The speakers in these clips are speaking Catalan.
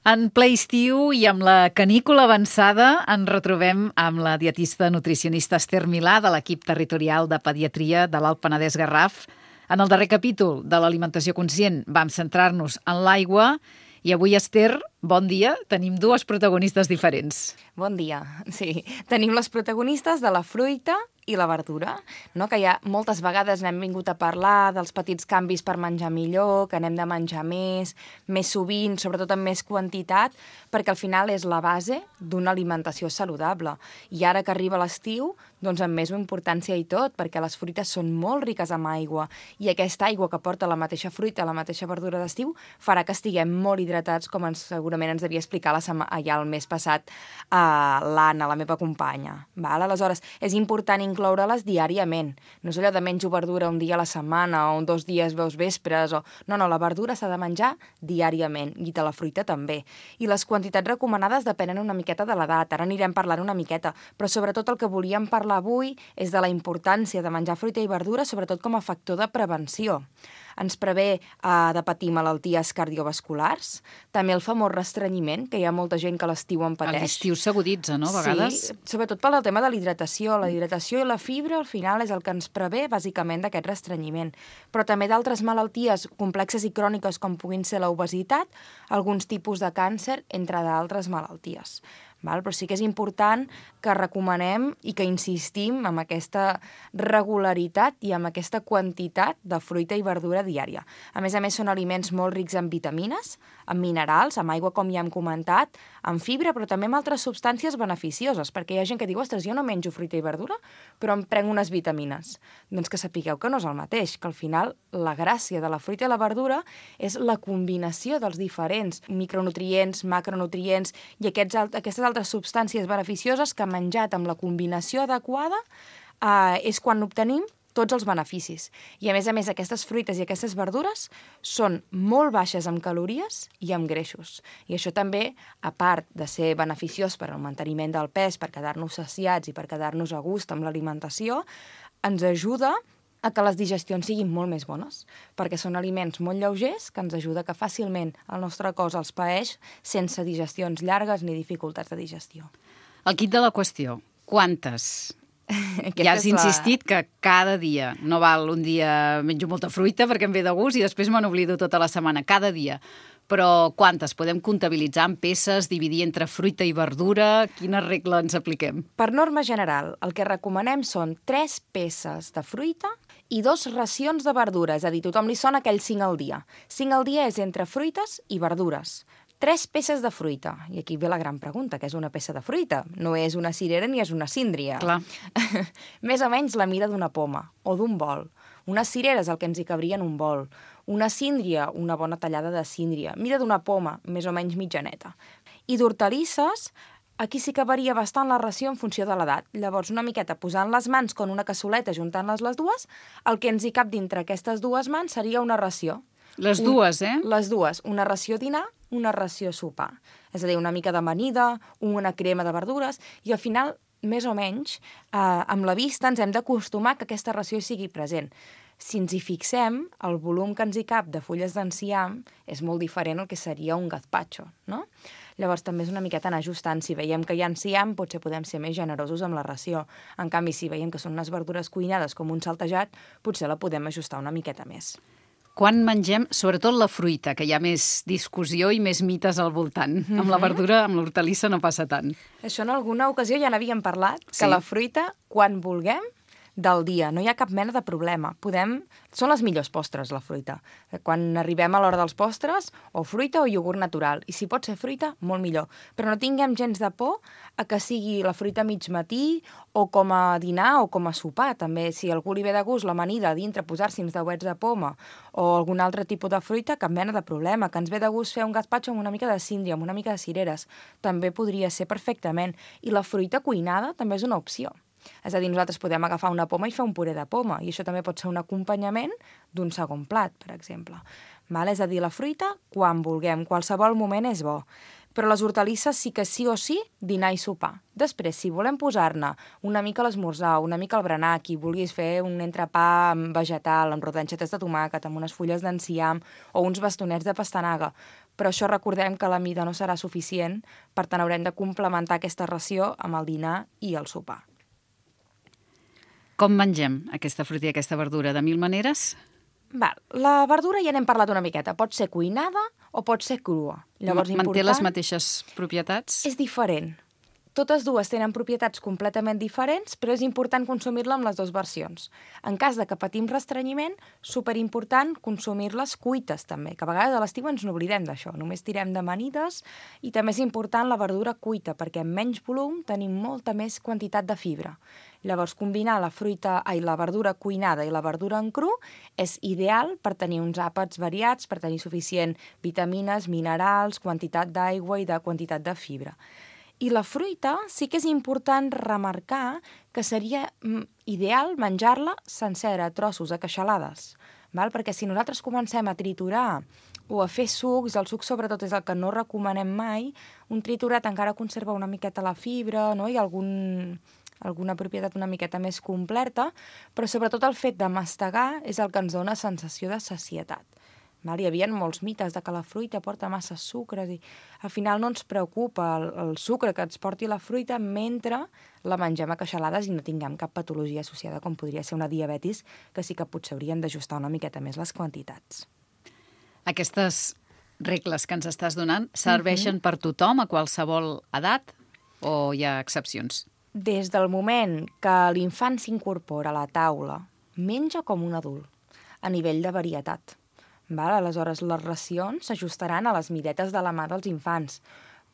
En ple estiu i amb la canícula avançada ens retrobem amb la dietista nutricionista Esther Milà de l'equip territorial de pediatria de l'Alt Penedès Garraf. En el darrer capítol de l'alimentació conscient vam centrar-nos en l'aigua i avui, Esther, bon dia, tenim dues protagonistes diferents. Bon dia, sí. Tenim les protagonistes de la fruita i la verdura, no? Que ja moltes vegades n'hem vingut a parlar dels petits canvis per menjar millor, que n'hem de menjar més sovint, sobretot amb més quantitat, perquè al final és la base d'una alimentació saludable. I ara que arriba l'estiu, doncs amb més importància i tot, perquè les fruites són molt riques en aigua i aquesta aigua que porta la mateixa fruita, la mateixa verdura d'estiu, farà que estiguem molt hidratats, com segurament ens devia explicar ja el mes passat l'Anna, la meva companya. Val? Aleshores, és important incloure-les diàriament. No és allò de menjo verdura un dia a la setmana o 2 dies veus vespres. No, la verdura s'ha de menjar diàriament i de la fruita també. I les quantitats recomanades depenen una miqueta de l'edat. Ara anirem parlant una miqueta, però sobretot el que volíem parlar avui és de la importància de menjar fruita i verdura, sobretot com a factor de prevenció. Ens prevé de patir malalties cardiovasculars, també el famós restrenyiment, que hi ha molta gent que l'estiu en pateix. A l'estiu s'aguditza, no?, a vegades. Sí, sobretot pel tema de la hidratació. La hidratació i la fibra, al final, és el que ens prevé, bàsicament, d'aquest restrenyiment. Però també d'altres malalties complexes i cròniques, com puguin ser l'obesitat, alguns tipus de càncer, entre d'altres malalties. Però sí que és important que recomanem i que insistim en aquesta regularitat i en aquesta quantitat de fruita i verdura diària. A més, són aliments molt rics en vitamines, en minerals, amb aigua, com ja hem comentat, en fibra, però també amb altres substàncies beneficioses, perquè hi ha gent que diu, ostres, jo no menjo fruita i verdura, però em prenc unes vitamines. Doncs que sapigueu que no és el mateix, que al final la gràcia de la fruita i la verdura és la combinació dels diferents micronutrients, macronutrients i aquestes altres substàncies beneficioses que menjat amb la combinació adequada és quan obtenim tots els beneficis. I a més, aquestes fruites i aquestes verdures són molt baixes en calories i en greixos. I això també, a part de ser beneficiós per al manteniment del pes, per quedar-nos saciats i per quedar-nos a gust amb l'alimentació, ens ajuda a que les digestions siguin molt més bones, perquè són aliments molt lleugers que ens ajuda que fàcilment el nostre cos els paeix sense digestions llargues ni dificultats de digestió. El quid de la qüestió, quantes? Ja has insistit que cada dia, no val un dia menjo molta fruita perquè em ve de gust i després me n'oblido tota la setmana, cada dia. Però quantes? Podem comptabilitzar en peces, dividir entre fruita i verdura? Quina regla ens apliquem? Per norma general, el que recomanem són 3 peces de fruita i 2 racions de verdura, és a dir, tothom li sona aquell 5 al dia. 5 al dia és entre fruites i verdures. 3 peces de fruita. I aquí ve la gran pregunta, què és una peça de fruita? No és una cirera ni és una síndria. Clar. Més o menys la mida d'una poma o d'un bol. Una cirera és el que ens hi cabria en un bol. Una síndria, una bona tallada de síndria. Mida d'una poma, més o menys mitjaneta. I d'hortalisses, aquí sí que varia bastant la ració en funció de l'edat. Llavors, una miqueta posant les mans com una cassoleta, juntant-les les dues, el que ens hi cap dintre aquestes dues mans seria una ració. Les dues, eh? Les dues. Una ració dinar, una ració sopar. És a dir, una mica d'amanida, una crema de verdures, i al final, més o menys, amb la vista ens hem d'acostumar que aquesta ració sigui present. Si ens hi fixem, el volum que ens hi cap de fulles d'enciam és molt diferent al que seria un gazpacho, no? Llavors també és una miqueta anar ajustant. Si veiem que hi ha enciam, potser podem ser més generosos amb la ració. En canvi, si veiem que són unes verdures cuinades com un saltejat, potser la podem ajustar una miqueta més. Quan mengem, sobretot la fruita, que hi ha més discussió i més mites al voltant. Amb la verdura, amb l'hortalissa no passa tant. Això en alguna ocasió ja n'havíem parlat, Sí. que la fruita, quan vulguem, del dia, no hi ha cap mena de problema. Són les millors postres, la fruita. Quan arribem a l'hora dels postres, o fruita o iogurt natural. I si pot ser fruita, molt millor. Però no tinguem gens de por a que sigui la fruita a mig matí o com a dinar o com a sopar. També, si a algú li ve de gust l'amanida a dintre, posar-s'hi uns dauets de poma o algun altre tipus de fruita, cap mena de problema. Que ens ve de gust fer un gazpacho amb una mica de síndria, amb una mica de cireres. També podria ser perfectament. I la fruita cuinada també és una opció. És a dir, nosaltres podem agafar una poma i fer un puré de poma, i això també pot ser un acompanyament d'un segon plat, per exemple. És a dir, la fruita, quan vulguem, qualsevol moment és bo. Però les hortalisses sí que sí o sí, dinar i sopar. Després, si volem posar-ne una mica a l'esmorzar, una mica al berenar, qui vulguis fer un entrepà vegetal amb rodanxetes de tomàquet, amb unes fulles d'enciam o uns bastonets de pastanaga, però això recordem que la mida no serà suficient, per tant haurem de complementar aquesta ració amb el dinar i el sopar. Com mengem aquesta fruita i aquesta verdura? De 1000 maneres? La verdura ja n'hem parlat una miqueta. Pot ser cuinada o pot ser crua. Llavors, Manté les mateixes propietats? És diferent. Totes dues tenen propietats completament diferents, però és important consumir-la amb les dues versions. En cas de que patim restrenyiment, superimportant consumir-les cuites també, que a vegades a l'estiu ens n'oblidem d'això, només tirem d'amanides, i també és important la verdura cuita, perquè amb menys volum tenim molta més quantitat de fibra. Llavors, combinar la verdura cuinada i la verdura en cru és ideal per tenir uns àpats variats, per tenir suficient vitamines, minerals, quantitat d'aigua i de quantitat de fibra. I la fruita sí que és important remarcar que seria ideal menjar-la sencera, a trossos, a queixalades, perquè si nosaltres comencem a triturar o a fer sucs, el suc sobretot és el que no recomanem mai, un triturat encara conserva una miqueta la fibra, no? I alguna propietat una miqueta més completa, però sobretot el fet de mastegar és el que ens dona sensació de sacietat. Hi havia molts mites de que la fruita porta massa sucres i al final no ens preocupa el sucre que ens porti la fruita mentre la mengem a queixalades i no tinguem cap patologia associada com podria ser una diabetis, que sí que potser hauríem d'ajustar una miqueta més les quantitats. Aquestes regles que ens estàs donant serveixen per tothom, a qualsevol edat, o hi ha excepcions? Des del moment que l'infant s'incorpora a la taula, menja com un adult, a nivell de varietat. Aleshores, les racions s'ajustaran a les midetes de la mà dels infants,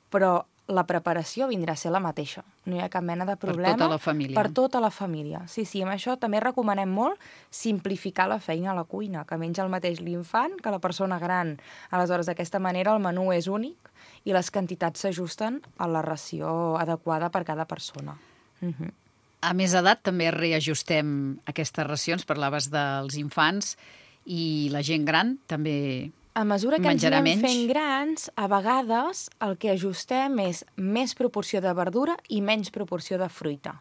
però la preparació vindrà a ser la mateixa. No hi ha cap mena de problema. Per tota la família. Per tota la família. Sí, amb això també recomanem molt simplificar la feina a la cuina, que menja el mateix l'infant que la persona gran. Aleshores, d'aquesta manera el menú és únic i les quantitats s'ajusten a la ració adequada per cada persona. A més edat també reajustem aquestes racions, parlaves dels infants, i la gent gran també a mesura que ens menjarà anem menys? fent grans, a vegades el que ajustem és més proporció de verdura i menys proporció de fruita.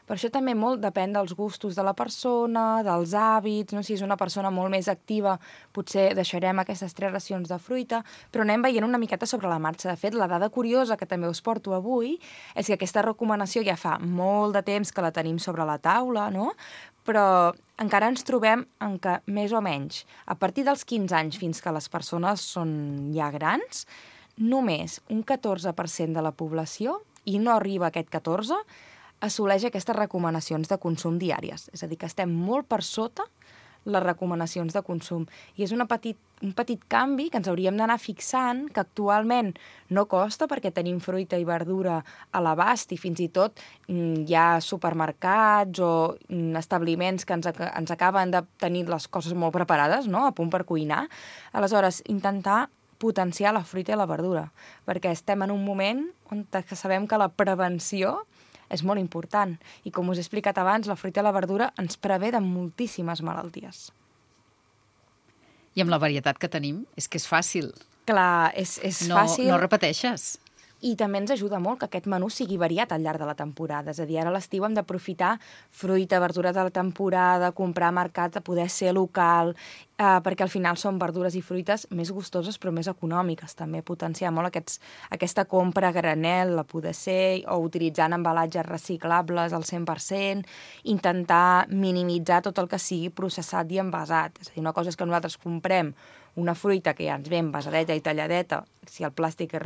Per això també molt depèn dels gustos de la persona, dels hàbits, no? Si és una persona molt més activa, potser deixarem aquestes 3 racions de fruita, però anem veient una miqueta sobre la marxa. De fet, la dada curiosa que també us porto avui és que aquesta recomanació ja fa molt de temps que la tenim sobre la taula, no? Però encara ens trobem en que, més o menys, a partir dels 15 anys fins que les persones són ja grans, només un 14% de la població, i no arriba a aquest 14%, assoleix aquestes recomanacions de consum diàries. És a dir, que estem molt per sota les recomanacions de consum. I és un petit canvi que ens hauríem d'anar fixant, que actualment no costa perquè tenim fruita i verdura a l'abast i fins i tot hi ha supermercats o establiments que ens acaben de tenir les coses molt preparades, no? A punt per cuinar. Aleshores, intentar potenciar la fruita i la verdura, perquè estem en un moment on sabem que la prevenció és molt important. I com us he explicat abans, la fruita i la verdura ens prevé de moltíssimes malalties. I amb la varietat que tenim, és que és fàcil. Clar, és fàcil. No repeteixes. I també ens ajuda molt que aquest menú sigui variat al llarg de la temporada. És a dir, ara a l'estiu hem d'aprofitar fruita, verdura de la temporada, comprar a mercat, a poder ser local, perquè al final són verdures i fruites més gustoses però més econòmiques. També potenciar molt aquesta compra a granel, a poder ser, o utilitzant embalatges reciclables al 100%, intentar minimitzar tot el que sigui processat i envasat. És a dir, una cosa és que nosaltres comprem una fruita que ja ens ve envasadeta i talladeta, si el plàstic és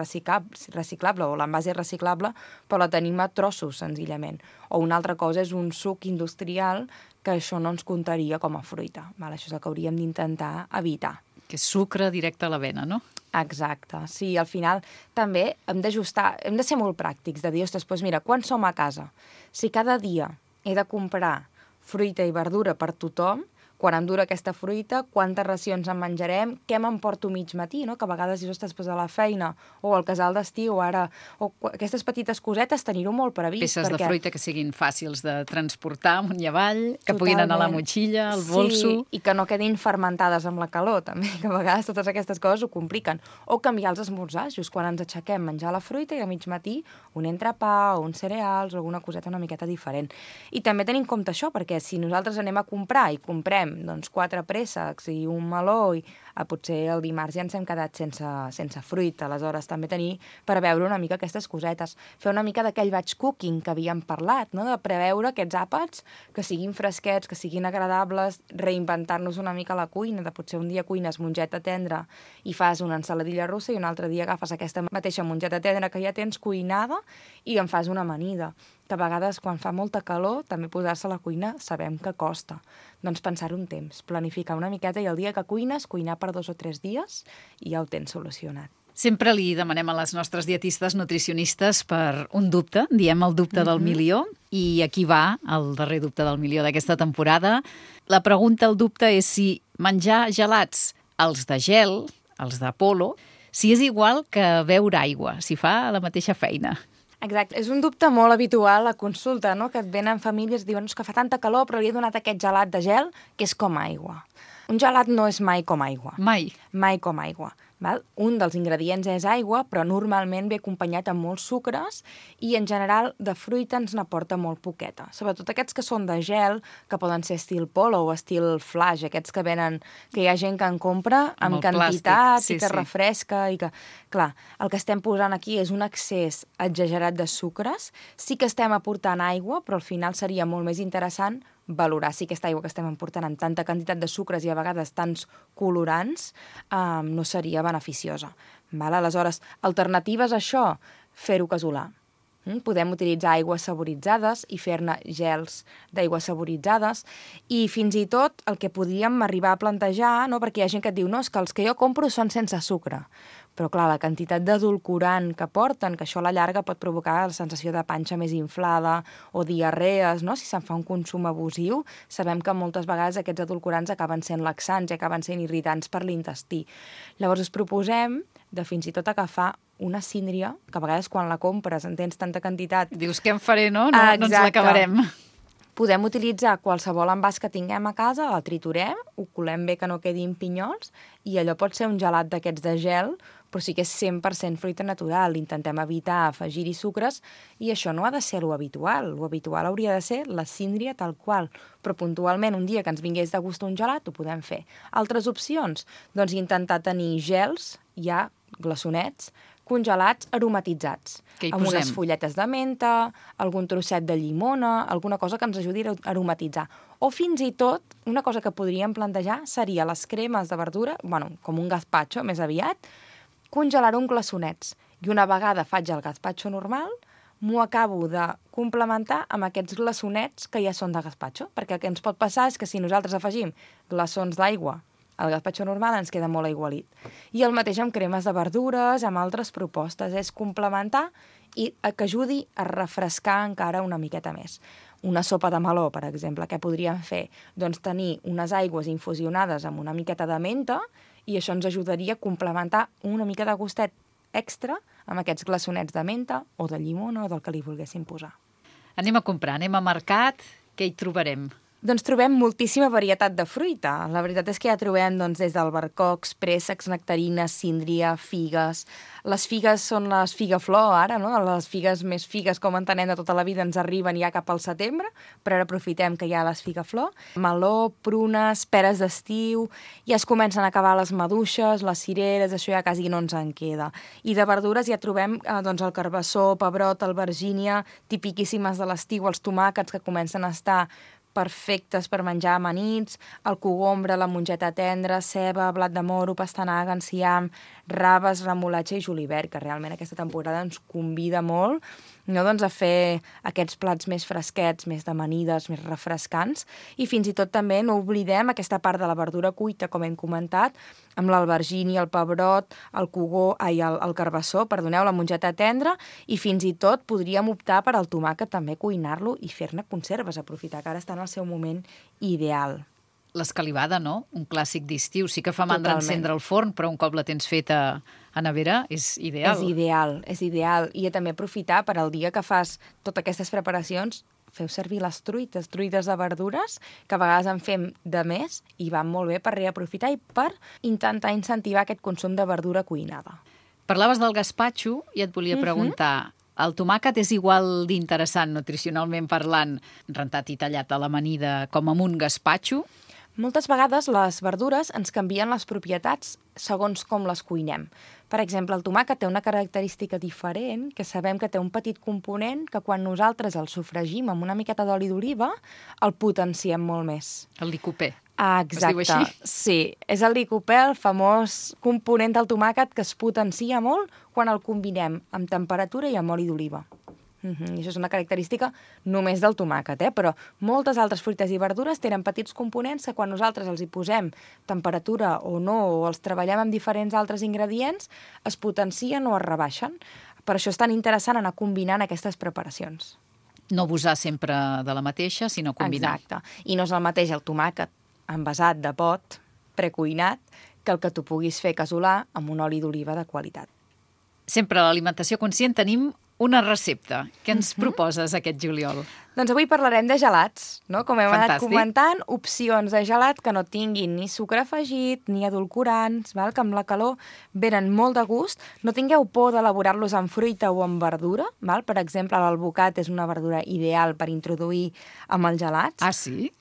reciclable o l'envàs és reciclable, però la tenim a trossos, senzillament. O una altra cosa és un suc industrial que això no ens comptaria com a fruita. Això és el que hauríem d'intentar evitar. Que és sucre directe a la vena, no? Exacte. Sí, al final també hem d'ajustar, hem de ser molt pràctics, de dir, ostres, doncs mira, quan som a casa? Si cada dia he de comprar fruita i verdura per tothom, quan em dura aquesta fruita, quantes racions en menjarem, què m'emporto mig matí, no? Que a vegades dius, ostres, a la feina, o al casal d'estiu, ara, o aquestes petites cosetes, tenir-ho molt previst. Peces de fruita que siguin fàcils de transportar amunt i avall, que puguin anar a la motxilla, al bolso. Sí, i que no quedin fermentades amb la calor, també, que a vegades totes aquestes coses ho compliquen. O canviar els esmorzars, just quan ens aixequem, menjar la fruita i a mig matí un entrepà o uns cereals o alguna coseta una miqueta diferent. I també tenim en compte això, perquè si nosaltres anem a comprar i comprem fem 4 préssecs i un meló, i potser el dimarts ja ens hem quedat sense fruit. Aleshores, també tenir per veure una mica aquestes cosetes. Fer una mica d'aquell batch cooking que havíem parlat, no? De preveure aquests àpats que siguin fresquets, que siguin agradables, reinventar-nos una mica la cuina, de potser un dia cuines mongeta tendra i fas una ensaladilla russa i un altre dia agafes aquesta mateixa mongeta tendra que ja tens cuinada i en fas una amanida. Que a vegades, quan fa molta calor, també posar-se a la cuina sabem que costa. Doncs pensar un temps, planificar una miqueta i el dia que cuines, cuinar per 2 o 3 dies i ja ho tens solucionat. Sempre li demanem a les nostres dietistes nutricionistes per un dubte, diem el dubte del milió, i aquí va el darrer dubte del milió d'aquesta temporada. La pregunta, el dubte, és si menjar gelats, els de gel, els d'Apolo, si és igual que beure aigua, si fa la mateixa feina. Exacte, és un dubte molt habitual a consulta, no? Que et venen famílies i diuen que fa tanta calor però li he donat aquest gelat de gel que és com aigua. Un gelat no és mai com aigua. Mai. Mai com aigua. Val? Un dels ingredients és aigua, però normalment ve acompanyat amb molts sucres i, en general, de fruita ens n'aporta molt poqueta. Sobretot aquests que són de gel, que poden ser estil Polo o estil Flash, aquests que venen, que hi ha gent que en compra amb quantitat plàstic, i que refresca i que... Clar, el que estem posant aquí és un excés exagerat de sucres. Sí que estem aportant aigua, però al final seria molt més interessant valorar si aquesta aigua que estem emportant amb tanta quantitat de sucres i a vegades tants colorants no seria beneficiosa. Val? Aleshores, alternatives a això, fer-ho casolà. Podem utilitzar aigües saboritzades i fer-ne gels d'aigües saboritzades i fins i tot el que podríem arribar a plantejar, no? Perquè hi ha gent que et diu no, és que els que jo compro són sense sucre. Però clar, la quantitat d'edulcorant que porten, que això a la llarga pot provocar la sensació de panxa més inflada o diarrees, no? Si se'n fa un consum abusiu, sabem que moltes vegades aquests edulcorants acaben sent laxants i acaben sent irritants per l'intestí. Llavors us proposem de fins i tot agafar una síndria, que a vegades quan la compres en tens tanta quantitat... Dius, què en faré, no? No ens l'acabarem. Podem utilitzar qualsevol envàs que tinguem a casa, la triturem, ho colem bé que no quedin pinyols, i allò pot ser un gelat d'aquests de gel, però sí que és 100% fruita natural. Intentem evitar afegir-hi sucres, i això no ha de ser lo habitual. Lo habitual hauria de ser la síndria tal qual. Però puntualment, un dia que ens vingués de gust un gelat, ho podem fer. Altres opcions? Doncs intentar tenir gels, ja glaçonets, congelats aromatitzats, amb unes fulletes de menta, algun trosset de llimona, alguna cosa que ens ajudi a aromatitzar. O fins i tot, una cosa que podríem plantejar seria les cremes de verdura, com un gazpacho més aviat, congelar-ho en glaçonets. I una vegada faig el gazpacho normal, m'ho acabo de complementar amb aquests glaçonets que ja són de gazpacho, perquè el que ens pot passar és que si nosaltres afegim glaçons d'aigua el gazpacho normal ens queda molt aigualit. I el mateix amb cremes de verdures, amb altres propostes. És complementar i que ajudi a refrescar encara una miqueta més. Una sopa de meló, per exemple, què podríem fer? Doncs tenir unes aigües infusionades amb una miqueta de menta i això ens ajudaria a complementar una mica de gustet extra amb aquests glaçonets de menta o de llimona o del que li volguéssim posar. Anem a comprar, anem a mercat, què hi trobarem? Doncs trobem moltíssima varietat de fruita. La veritat és que ja trobem des d'albercocs, préssecs, nectarines, síndria, figues. Les figues són les figaflor ara, no? Les figues més figues, com entenem de tota la vida, ens arriben ja cap al setembre, però ara aprofitem que hi ha les figaflor. Meló, prunes, peres d'estiu, ja es comencen a acabar les maduixes, les cireres, això ja quasi no ens en queda. I de verdures ja trobem el carbassó, pebrot, albergínia, tipiquíssimes de l'estiu, els tomàquets que comencen a estar perfectes per menjar amanits, el cogombre, la mongeta tendra, ceba, blat de moro, pastanaga, enciam, raves, remolatxa i julivert, que realment aquesta temporada ens convida molt a fer aquests plats més fresquets, més d'amanides, més refrescants, i fins i tot també no oblidem aquesta part de la verdura cuita, com hem comentat, amb l'albergínia, el pebrot, el carbassó, la mongeta tendra, i fins i tot podríem optar per al tomàquet també cuinar-lo i fer-ne conserves, aprofitar que ara està en el seu moment ideal. L'escalivada, no? Un clàssic d'estiu. Sí que fa mandra encendre el forn, però un cop la tens feta a nevera és ideal. És ideal. I també aprofitar per al dia que fas totes aquestes preparacions, feu servir les truites de verdures, que a vegades en fem de més i van molt bé per reaprofitar i per intentar incentivar aquest consum de verdura cuinada. Parlaves del gazpacho i et volia preguntar, el tomàquet és igual d'interessant nutricionalment parlant, rentat i tallat a l'amanida, com amb un gazpacho? Moltes vegades les verdures ens canvien les propietats segons com les cuinem. Per exemple, el tomàquet té una característica diferent, que sabem que té un petit component que quan nosaltres el sofregim amb una miqueta d'oli d'oliva, el potenciem molt més. El licopè. Exacte. Es diu així? Sí, és el licopè, el famós component del tomàquet que es potencia molt quan el combinem amb temperatura i amb oli d'oliva. I això és una característica només del tomàquet, però moltes altres fruites i verdures tenen petits components que quan nosaltres els hi posem temperatura o no, o els treballem amb diferents altres ingredients, es potencien o es rebaixen. Per això és tan interessant anar combinant aquestes preparacions. No abusar sempre de la mateixa, sinó combinar. Exacte. I no és el mateix el tomàquet envasat de pot, precuinat, que el que tu puguis fer casolà amb un oli d'oliva de qualitat. Sempre a l'Alimentació Conscient tenim una recepta. Què ens proposes aquest juliol? Doncs avui parlarem de gelats, no? Com hem anat Fantàstic. comentant, opcions de gelat que no tinguin ni sucre afegit ni edulcorants, val? Que amb la calor venen molt de gust. No tingueu por d'elaborar-los amb fruita o amb verdura, val? Per exemple, l'alvocat és una verdura ideal per introduir amb els gelats. Ah, sí?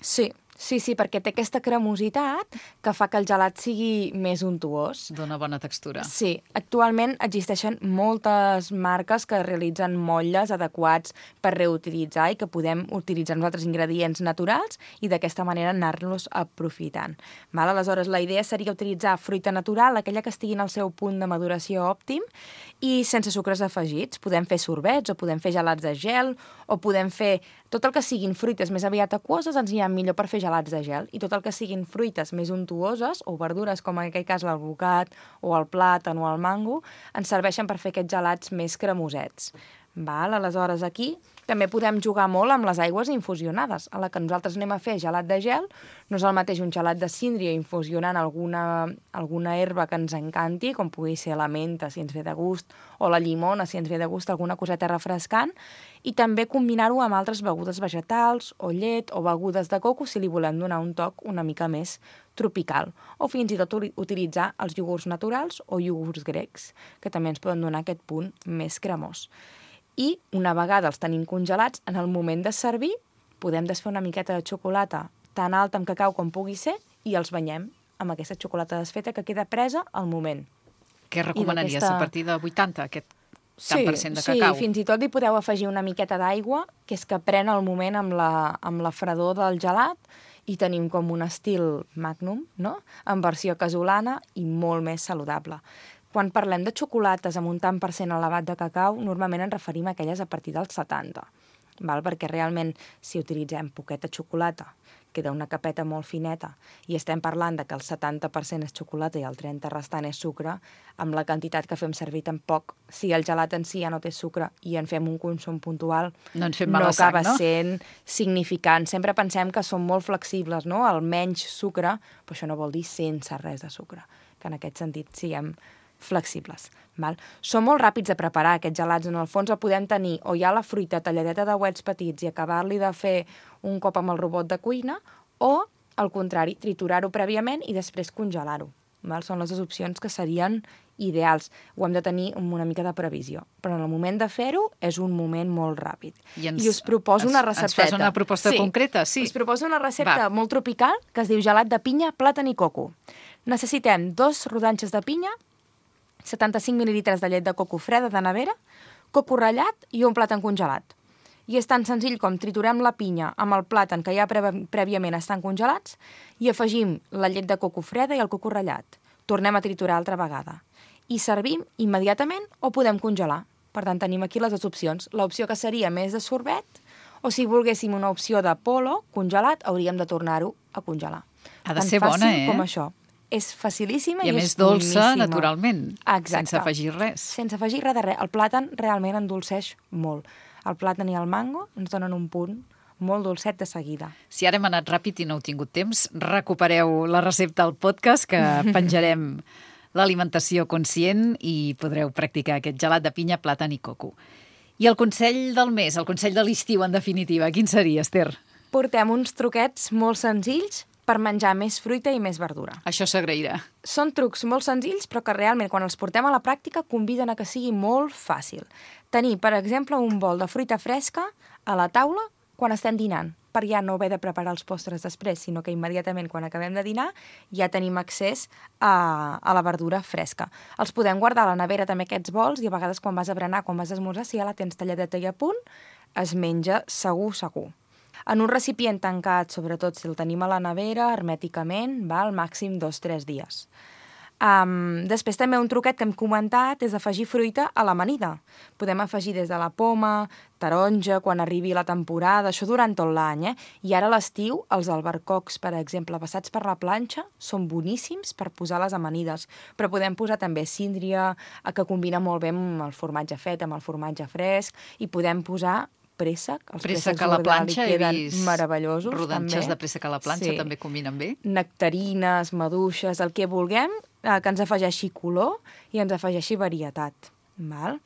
Sí, perquè té aquesta cremositat que fa que el gelat sigui més untuós. Dóna bona textura. Sí, actualment existeixen moltes marques que realitzen motlles adequats per reutilitzar i que podem utilitzar els altres ingredients naturals i d'aquesta manera anar-los aprofitant. Val? Aleshores, la idea seria utilitzar fruita natural, aquella que estigui en el seu punt de maduració òptim i sense sucres afegits. Podem fer sorbets o podem fer gelats de gel o podem fer tot el que siguin fruites més aviat aquoses ens anirà millor per fer gelats de gel i tot el que siguin fruites més untuoses o verdures com en aquest cas l'alvocat o el plàtan o el mango ens serveixen per fer aquests gelats més cremosets. Val? Aleshores, aquí també podem jugar molt amb les aigües infusionades. A la que nosaltres anem a fer gelat de gel, no és el mateix un gelat de síndria infusionant alguna herba que ens encanti, com pugui ser la menta, si ens ve de gust, o la llimona, si ens ve de gust alguna coseta refrescant, i també combinar-ho amb altres begudes vegetals, o llet, o begudes de coco, si li volem donar un toc una mica més tropical. O fins i tot utilitzar els iogurts naturals o iogurts grecs, que també ens poden donar aquest punt més cremós. I una vegada els tenim congelats, en el moment de servir, podem desfer una miqueta de xocolata tan alta amb cacau com pugui ser i els banyem amb aquesta xocolata desfeta que queda presa al moment. Què recomanaries? A partir de 80, aquest tant per cent de cacau? Sí, fins i tot li podeu afegir una miqueta d'aigua, que és que pren el moment amb la fredor del gelat i tenim com un estil Magnum, no? En versió casolana i molt més saludable. Quan parlem de xocolates amb un tant per cent elevat de cacau, normalment ens referim a aquelles a partir dels 70, val? Perquè realment, si utilitzem poqueta xocolata, queda una capeta molt fineta, i estem parlant de que el 70% és xocolata i el 30% restant és sucre, amb la quantitat que fem servir tampoc, si el gelat en si ja no té sucre i en fem un consum puntual, no acaba sent significant. Sempre pensem que són molt flexibles, no? El menys sucre, però això no vol dir sense res de sucre, que en aquest sentit siguem flexibles. Val? Són molt ràpids de preparar aquests gelats. En el fons el podem tenir o ja la fruita talladeta de uets petits i acabar-li de fer un cop amb el robot de cuina o, al contrari, triturar-ho prèviament i després congelar-ho. Val? Són les dues opcions que serien ideals. Ho hem de tenir amb una mica de previsió. Però en el moment de fer-ho és un moment molt ràpid. I us proposo una recepteta. Ens fas una proposta concreta? Sí. Us proposo una recepta molt tropical que es diu gelat de pinya, plàtan i coco. Necessitem 2 rodanxes de pinya, 75 mil·lilitres de llet de coco freda de nevera, coco ratllat i un plàtan congelat. I és tan senzill com triturem la pinya amb el plàtan que ja prèviament estan congelats i afegim la llet de coco freda i el coco ratllat. Tornem a triturar altra vegada. I servim immediatament o podem congelar. Per tant, tenim aquí les dues opcions. L'opció que seria més de sorbet o si volguéssim una opció de polo congelat, hauríem de tornar-ho a congelar. Ha de ser bona, Tan fàcil com això. És facilíssima i és més dolça, boníssima. Naturalment. Exacte. Sense afegir res. Sense afegir res de res. El plàtan realment endolceix molt. El plàtan i el mango ens donen un punt molt dolcet de seguida. Si ara hem anat ràpid i no heu tingut temps, recupereu la recepta al podcast que penjarem l'Alimentació Conscient i podreu practicar aquest gelat de pinya, plàtan i coco. I el consell del mes, el consell de l'estiu, en definitiva, quin seria, Esther? Portem uns truquets molt senzills per menjar més fruita i més verdura. Això s'agrairà. Són trucs molt senzills, però que realment, quan els portem a la pràctica, conviden a que sigui molt fàcil. Tenir, per exemple, un bol de fruita fresca a la taula quan estem dinant. per ja no haver de preparar els postres després, sinó que immediatament quan acabem de dinar ja tenim accés a la verdura fresca. Els podem guardar a la nevera també aquests bols i a vegades quan vas a berenar, quan vas a esmorzar, si ja la tens talladeta i a punt, es menja segur. En un recipient tancat, sobretot si el tenim a la nevera, hermèticament, val màxim 2-3 dies. Després també un truquet que hem comentat és afegir fruita a l'amanida. Podem afegir des de la poma, taronja, quan arribi la temporada, això durant tot l'any, I ara a l'estiu, els albercocs, per exemple, passats per la planxa, són boníssims per posar les amanides, però podem posar també síndria, que combina molt bé amb el formatge fet, amb el formatge fresc, i podem posar préssec. Els préssec a la planxa, he vist meravellosos, rodanxes també. De préssec a la planxa, també combinen bé. Nectarines, maduixes, el que vulguem, que ens afegeixi color i ens afegeixi varietat. Val?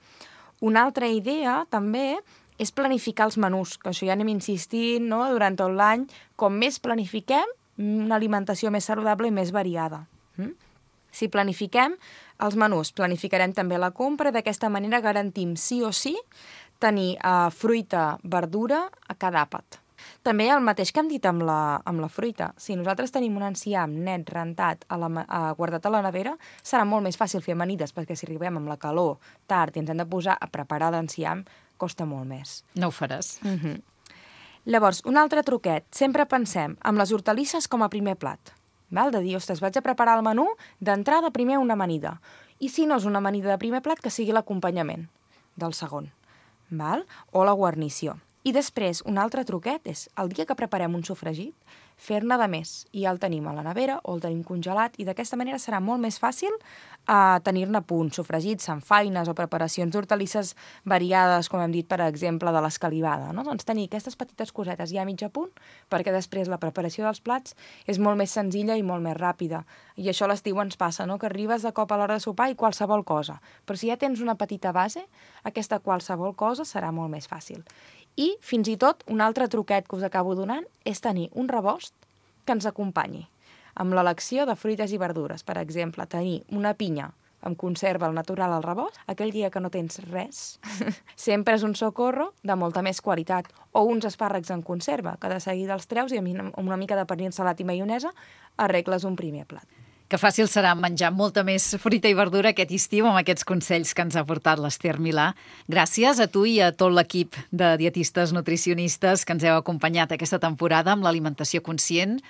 Una altra idea, també, és planificar els menús, que això ja anem insistint, no?, durant tot l'any. Com més planifiquem, una alimentació més saludable i més variada. Si planifiquem els menús, planificarem també la compra, d'aquesta manera garantim sí o sí tenir fruita, verdura a cada àpat. També el mateix que hem dit amb la fruita. Si nosaltres tenim un enciam net, rentat, guardat a la nevera, serà molt més fàcil fer amanides, perquè si arribem amb la calor tard i ens hem de posar a preparar l'enciam, costa molt més. No ho faràs. Llavors, un altre truquet. Sempre pensem amb les hortalisses com a primer plat. Val? De dir, ostres, vaig a preparar el menú, d'entrada primer una amanida. I si no és una amanida de primer plat, que sigui l'acompanyament del segon. Val? O la guarnició. I després, un altre truquet és, el dia que preparem un sofregit, fer-ne de més. I ja el tenim a la nevera o el tenim congelat i d'aquesta manera serà molt més fàcil tenir-ne a punt. Sofregits, samfaines o preparacions d'hortalisses variades, com hem dit, per exemple, de l'escalivada. No? Doncs tenir aquestes petites cosetes ja a mig a punt, perquè després la preparació dels plats és molt més senzilla i molt més ràpida. I això a l'estiu ens passa, no? Que arribes de cop a l'hora de sopar i qualsevol cosa. Però si ja tens una petita base, aquesta qualsevol cosa serà molt més fàcil. I, fins i tot, un altre truquet que us acabo donant és tenir un rebost que ens acompanyi. Amb l'elecció de fruites i verdures, per exemple, tenir una pinya amb conserva al natural al rebost, aquell dia que no tens res, sempre és un socorro de molta més qualitat. O uns espàrrecs en conserva, que de seguida els treus i amb una mica de pernil salat i maionesa arregles un primer plat. Que fàcil serà menjar molta més fruita i verdura aquest estiu amb aquests consells que ens ha portat l'Ester Milà. Gràcies a tu i a tot l'equip de dietistes nutricionistes que ens heu acompanyat aquesta temporada amb l'alimentació conscient.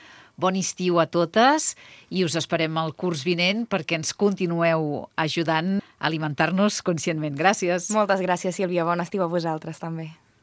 Bon estiu a totes i us esperem al curs vinent perquè ens continueu ajudant a alimentar-nos conscientment. Gràcies. Moltes gràcies, Sílvia. Bon estiu a vosaltres, també.